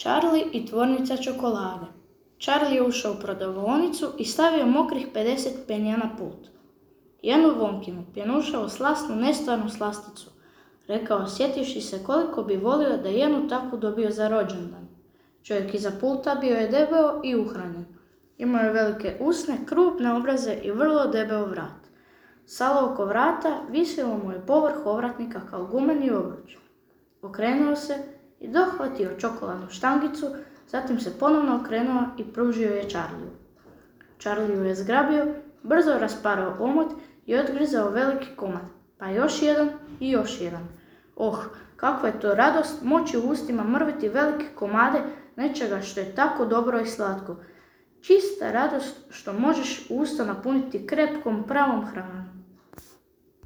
Charlie i tvornica čokolade. Charlie je ušao u prodavaonicu i stavio mokrih 50 penija na pult. Jednu Wonkinu, pjenušavu slasnu nestvarnu slasticu, rekao sjetivši se koliko bi volio da jednu takvu dobio za rođendan. Čovjek iza pulta bio je debeo i uhranjen. Imao je velike usne, krupne obraze i vrlo debeo vrat. Salo oko vrata visilo mu je povrh ovratnika kao gumeni obruč. Okrenuo se i dohvatio čokoladnu štangicu, zatim se ponovno okrenuo i pružio je Charliju. Charlie ju je zgrabio, brzo rasparao omot i odgrizao veliki komad, pa još jedan i još jedan. Oh, kakva je to radost moći u ustima mrviti velike komade nečega što je tako dobro i slatko. Čista radost što možeš usta napuniti krepkom pravom hranom.